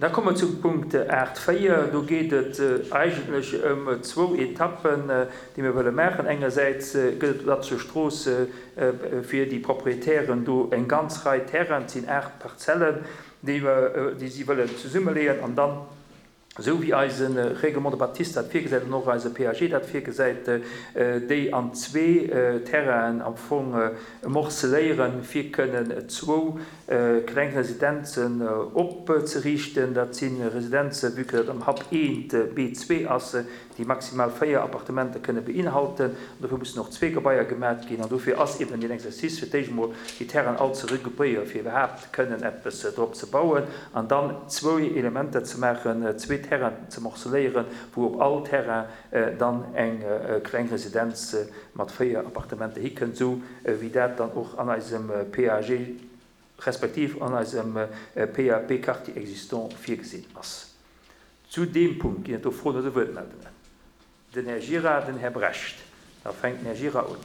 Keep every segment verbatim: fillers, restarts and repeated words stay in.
Da komme mer zum Punkt aacht véier. Do geet et eigentlech ëm zwou Etappen, déi mir wëlle maachen. Engersäits gëtt et op der Strooss fir déi Proprietären do eng ganz Rei Terrainen, et sinn aacht Parzellen, déi mer, déi si wëllen zesummeleeën an dann, esou wéi eise Règlement de bâtisse dat virgesäit an och eise P A G dat virgesäit, déi an zwee Terrainen am Fong morceléieren, fir kënnen zwou kleng Residenzen opzeriichten. Dat si Residenzen, vu que dat am Hub eent B zwee ass, déi maximal véier Appartementer kënne beinhalten. An dofir mussen och zwee Gebaier gemaach ginn. An dofir ass eben den Exercice fir d'éischt emol déi Terrainen all ze regroupéieren, fir iwwerhaapt kënnen eppes drop ze bauen an dann zwou Elementer ze maachen, zwee Terrainen ze morceléieren, wou op all Terrain dann eng kleng Residenz mat véier Appartementer hikënnt, sou wéi dat dann och an eisem P A G respektiv an eisem P A P Quartier existant virgesinn ass. Zu deem Punkt ginn et do Froen oder Wuertmeldungen. Den Här Gira, den Här Brecht. Da fänkt den Här Gira un.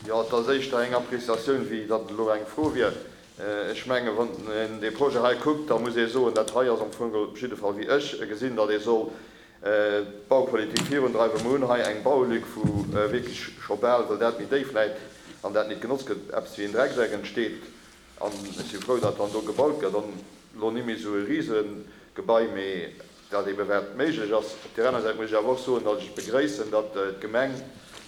Ja, et ass éischter eng Appréciatioun, wéi datt elo eng Fro wier. Ech menge, wann een dee Projet hei kuckt, da muss ee soen, dat hei ass am Fong op jidde Fall, wéi ech gesinn, datt ee soll d'Baupolitik virundreiwen. Mir hunn hei eng Baulück, wou wierklech scho bal, well dat méi déif läit an dat net genotzt gëtt, eppes wéi en Dreckseck entsteet. An ech si frou, datt dann do gebaut gëtt an elo net méi esou e Riesengebai, mee dat ebe wat méiglech ass. Op der aner Säit muss ech awer och soen, datt ech begréissen, datt d'Gemeng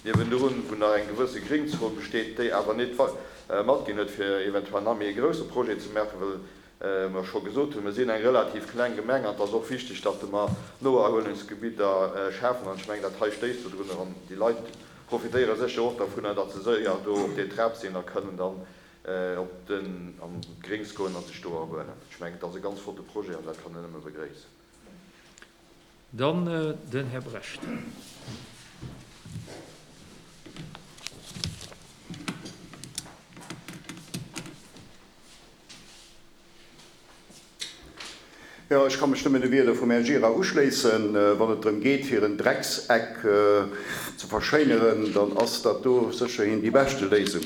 niewendrun, wou nach eng gewësse Gringzon besteet, déi awer net matginn huet, fir eventuell nach méi e grousse Projet ze maachen, well mer scho gesot hunn, mir sinn eng relativ kleng Gemeng an et ass och wichteg, datt mer Noerhuelungsgebidder schafen. An ech mengen, dat hei stéisst dodrunner an déi Leit profitéiere sécher och dovunner, datt se séier do op der Trap sinn a kënnen dann op den an d'Grings goen an sech do erhuelen. Ech mengen, dat ass e ganz flotte Projet an dat kann een nëmme begréissen. Dann den Här Brecht. Ja, ech kann mech nëmmen de Wierder vum Här Gira uschléissen. Wann et drëm geet, fir en Dreckseck ze verschéineren, dann ass dat do sécherhin déi beschte Léisung.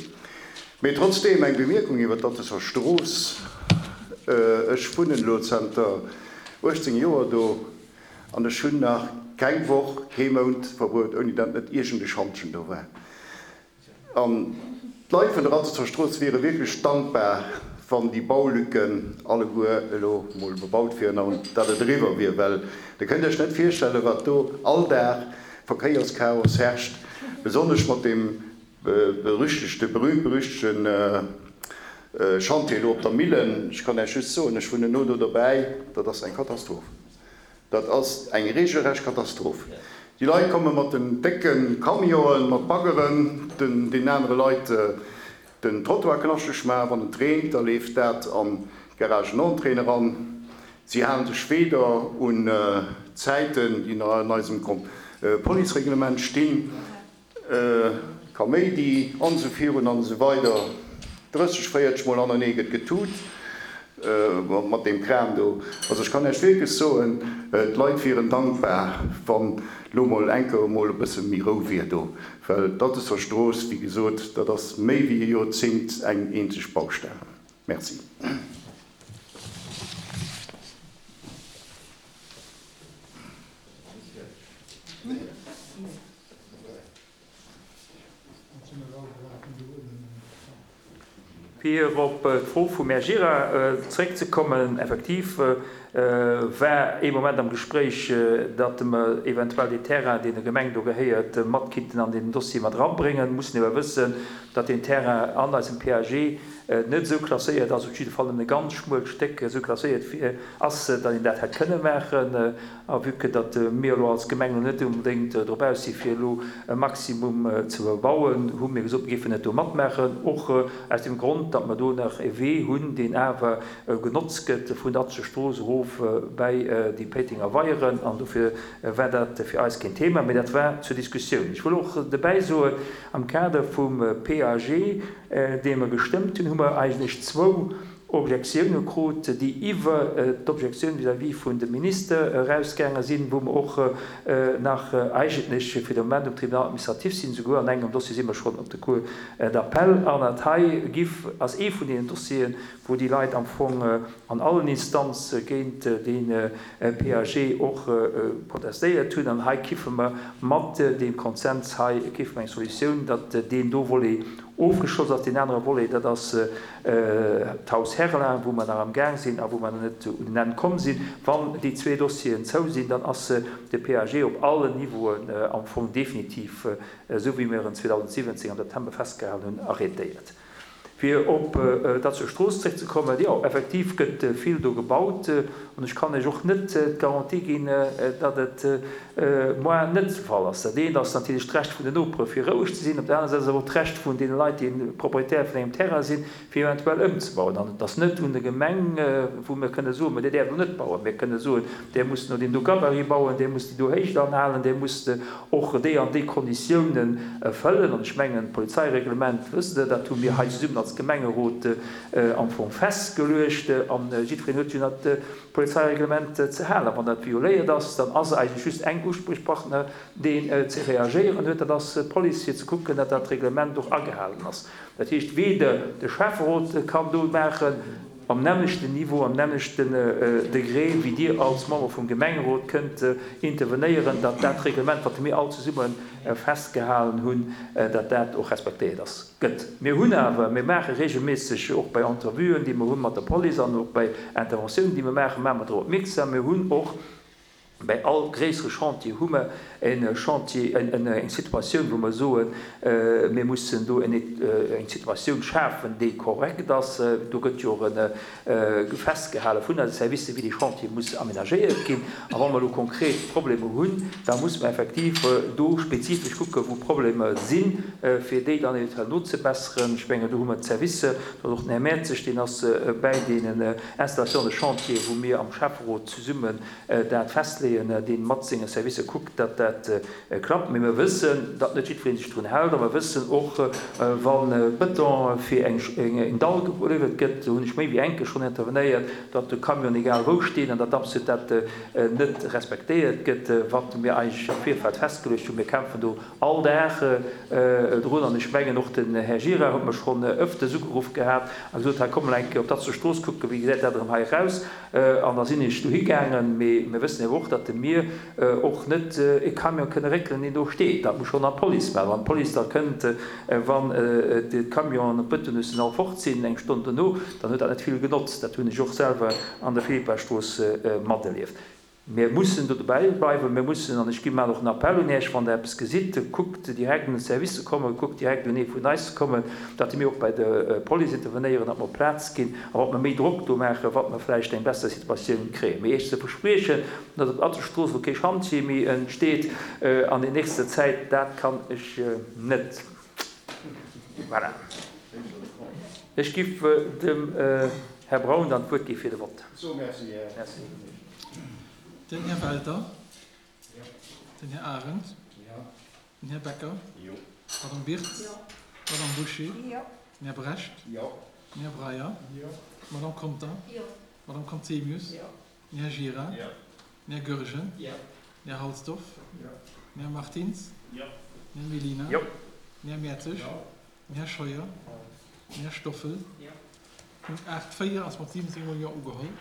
Mee trotzdem eng Bemierkung iwwer d'Atteser Strooss. Ech wunnen elo zanter uechtzéng Joer do an ech hunn nach keng Woch, kee Mount verbruecht, ouni datt net iergend e Schantjen do war. An d'Leit vun der Atteser Strooss wiere wierklech dankbar, wann déi Baulücken alleguer elo mol bebaut wieren an dat et eriwwer wier, well dir kënnt iech net virstellen, wat do all Dag Verkéierschaos herrscht, besonnesch mat dem berüchtegte, berühmt-berüchtegten Chantier elo op der Millen. Ech kann iech just soen, ech wunnen no do dobäi, dat ass eng Katastroph. Dat ass eng regelrecht Katastroph. Déi Leit komme mat den décke Camionen, mat Baggeren, den, den anere Leit den Trottoir knaschteg maachen. Wann et reent, da leeft dat an d'Garagenentrée eran. Si halen sech weder un Zäiten, déi an eisem Policereglement stinn, Kaméidi an esou virun an esou weider. drësseg, véierzeg Mol anenee gëtt getut mat deem Kram do. Also ech kann iech wierklech soen, d'Leit wieren dankbar, wann lo mol enker emol e bësse méi Rou wier do, well d'Atteser Strooss, wéi gesot, dat ass méi wéi e Joerzéngt eng eenzeg Baustell. Merci. Fir op d'Fro vum Här Gira zréckzekommen, effektiv war ee Moment am Gespréich, datt mer eventuell dee Terrain, deen der Gemeng do gehéiert, matkinnten an deen Dossier mat eranbréngen. Mir mussen awer wëssen, datt deen Terrain an eisem P A G net esou klasséiert ass, op jidde Fall nëmmen e ganz schmuelt Stéck esou klasséiert wier, ass, datt een dat hätt kënne maachen. A vue que datt mir elo als Gemeng elo net unbedéngt drop aus si fir elo e Maximum ze bebauen, hu mir gesot, mir géifen net do matmaachen, och aus dem Grond, datt mer do nach e Wee hunn, deen awer genotzt gëtt vun der Atzeger Strooss erof bäi déi Péitenger Weieren. An dofir war dat fir eis keen Thema, mee dat war zur Diskussioun. Ech wëll och dobäi soen, am Kader vum P A G, dee mer gestëmmt hunn, hu mer eigentlech zwou Objektioune krut, déi iwwer d'Objektioun vis-à-vis vun dem Minister erausgaange sinn, wou mer och nach eigentlech fir de Moment um Tribunal administratif sinn, souguer an engem Dossier si mer schonn op der Cour d'appel. An dat hei giff, ass ee vun deenen Dossieren, wou déi Leit am Fong an allen Instanze géint dee P A G och protestéiert hunn. An hei kiffe mer mat deem Konsens hei, kiffe mer eng Solutioun, datt deen do Volet ofgeschloss ass. Deen anere Volet, dat ass d'Haus Herlin, wou mer nach am Gaang sinn a wou mer nach net un en Enn komm sinn. Wann déi zwee Dossieren zou sinn, dann ass de P A G op allen Niveauen am Fong definitiv, esou wéi mir en zweedausendsiwwenzéng am September festgehalen hunn, arrêtéiert. Fir op d'Atzeger Strooss zréckzekommen, jo, effektiv gëtt vill do gebaut. An ech kann lech och net d'Garantie ginn, datt et moar net de Fall ass. Dat eent ass natierlech d'Recht vun den Nopere fir roueg ze sinn, op der anerer Säit ass awer och d'Recht vun deene Leit, déi Propriétaire vun engem Terrain sinn, fir eventuell ëmzebauen. An et ass net un der Gemeng, wou mir kënne soen, mä Dir däerft elo net bauen. Mir kënne soen, Dir musst no deem do Gabarit bauen, Dir musst déi do Héicht anhalen, Dir musst och déi an déi Konditiounen erfëllen. An ech mengen, d'Polizeireglement, wësst Der, dat hu mir hei zesummen als Gemengerot am Fong festgeluecht. An jiddwereen huet jo dat Polizeireglement ze halen. A wann dat violéiert ass, dann ass eigentlech just eng Usprichpartner, deen ze reagéieren huet, dat ass d'Police, fir ze kucken, datt dat Reglement och agehalen ass. Dat heescht, weder de Schäfferot kann do maachen, am nämmlechten Niveau, am nämmlechten Degré wéi Dir als Member vum Gemengerot kënnt intervenéieren, datt dat Reglement, wat mir all zesumme festgehalen hunn, datt dat och respektéiert ass, gëtt. Mir hunn awer, mir maache regelméisseg och bei Entrevuen, déi mer hu mat der Police an och bei Interventiounen, déi mer maachen, maache mer drop opmierksam. Mir hunn och bei all gréissere Chantier hu mer e Chantier, eng Situatioun, wou mer soen, mir mussen do eng Situatioun schafen, déi korrekt ass. Do gëtt jo och festgehale vun eise Servicer, wéi dee Chantier muss amenagéiert ginn. A wa mer elo konkret Problemer hunn, da musse mer effektiv do spezifesch kucken, wou Problemer sinn, fir déi dann eventuell nozebesseren. Ech mengen, do hu mer d'Servicer, do ass och den Här Mertzig, deen ass bäi deenen Installations de chantier, wou mir am Schäfferot zesummen dat festleeën, dee mat senge Servicer kuckt, datt dat klappt. Mee mir wëssen, datt net jiddweree sech drun hält a mer wëssen och, wa Bëton fir eng Dall geliwwert gëtt, do hunn ech méi wéi eng Kéier schonn intervenéiert, datt de Camion egal wou steet an datt absolut dat net respektéiert gëtt, wat mir eigentlech am Virfeld festgeluecht hunn. Mir kämpfen do all Dag drun an ech mengen och den Här Gira huet mech schonn ëfters ugeruff gehat a gesot, hei komm mol eng Kéier op d'Atzeger Strooss kucken, wéi gesäit dat erëm hei eraus. An da sinn ech dohi gaangen. Mee mir wëssen awer och, datt mir och net e Camion kënne réckelen, deen do steet. Dat muss schonn an d'Police maachen. Wann d'Police da kënnt, wann d'Camionen op Bëtonnussen all fort sinn, eng Stonn dono, dann huet dat net vill genotzt. Dat hunn ech och selwer an der Philippastrooss materlieft. Mir mussen do dobäi bleiwen. Mir mussen, an ech gi maachen och en Appell un Iech, wann Der eppes gesitt, kuckt direkt un de Service ze kommen, kuckt direkt un ee vun eis ze kommen, datt mir och bei der Police intervenéieren, datt mer op d'Plaz ginn a datt mer méi Drock do maachen, datt mer vläicht eng besser Situatioun kréien. Mee Iech ze verspriechen, datt op Atzelstrooss elo kee Chantier méi entsteet an der nächster Zäit, dat kann ech net. Voilà. Ech giff dem Här Braun dann d'Wuert gi fir de Vott. Merci. Den Här Welter. Den Här Arendt. Den Här Becker. D'Madame Birtz. D'Madame Bouché. Den Här Brecht. Den Här Breyer. D'Madame Conter. D'Madame Conzemius. Den Här Gira. Den Här Goergen. Den Här Halsdorf. Den Här Martins. Den Här Mellina. Den Här Mertzig. Den Här Scheuer. Den Här Stoffel. Punkt aacht véier ass mat siwwenzéng Mol Jo ugeholl.